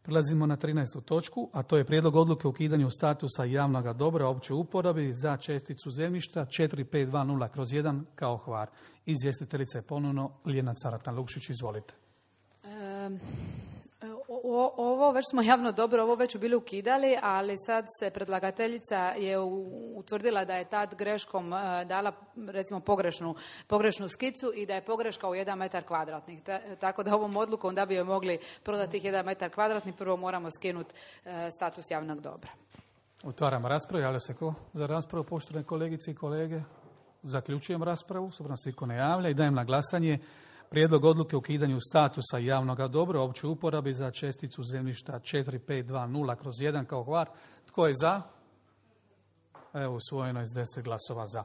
Prelazimo na 13. točku, a to je prijedlog odluke o ukidanju statusa javnog dobra opće uporabi za česticu zemljišta 4520/1 kao Hvar. Izvjestiteljica je ponovno Ljiljana Caratan-Lukšić, izvolite. Ovo već smo javno dobro, ovo već bili ukidali, ali sad se predlagateljica je utvrdila da je tad greškom dala recimo pogrešnu skicu i da je pogreška u 1 metar kvadratnih. Tako da ovom odlukom da bi joj mogli prodati tih 1 metar kvadratnih, prvo moramo skinuti status javnog dobra. Otvaram raspravu. Javlja se ko za raspravu, poštovane kolegice i kolege? Zaključujem raspravu, s obzirom se nitko ne javlja i dajem na glasanje prijedlog odluke o ukidanju statusa javnog dobra opće uporabi za česticu zemljišta 4520/1 kao Hvar. Tko je za? Evo, usvojeno je s 10 glasova za.